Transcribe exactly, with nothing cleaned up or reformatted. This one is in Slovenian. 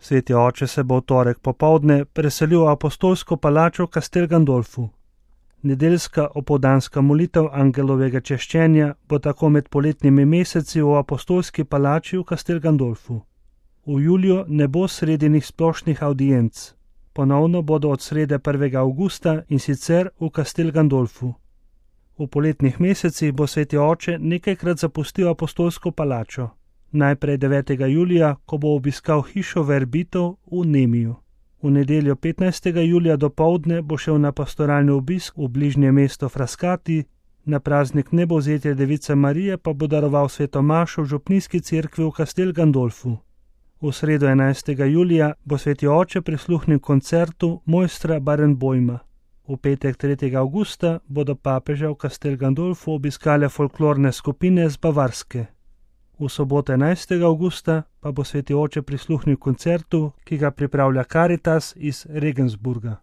Sveti oče se bo v torek popoldne preselil v apostolsko palačo v Castel Gandolfu. Nedeljska opoldanska molitev angelovega češčenja bo tako med poletnimi meseci v apostolski palači v Castel Gandolfu. V juliju ne bo sredinih splošnih audienc. Ponovno bodo od srede prvega avgusta in sicer v Castel Gandolfu. V poletnih mesecih bo sveti oče nekajkrat zapustil apostolsko palačo. Najprej devetega julija, ko bo obiskal hišo verbitov v Nemiju. V nedeljo petnajstega julija dopoldne bo šel na pastoralni obisk v bližnje mesto Frascati, na praznik Nebovzetja Device Marije pa bo daroval sveto mašo v župnijski cerkvi v Castel Gandolfu. V sredo enajstega julija bo sveti oče prisluhnil koncertu mojstra Barenboima. V petek tretjega avgusta bodo papeža v Castel Gandolfu obiskale folklorne skupine z Bavarske. V soboto enajstega avgusta pa bo sveti oče prisluhnil koncertu, ki ga pripravlja Caritas iz Regensburga.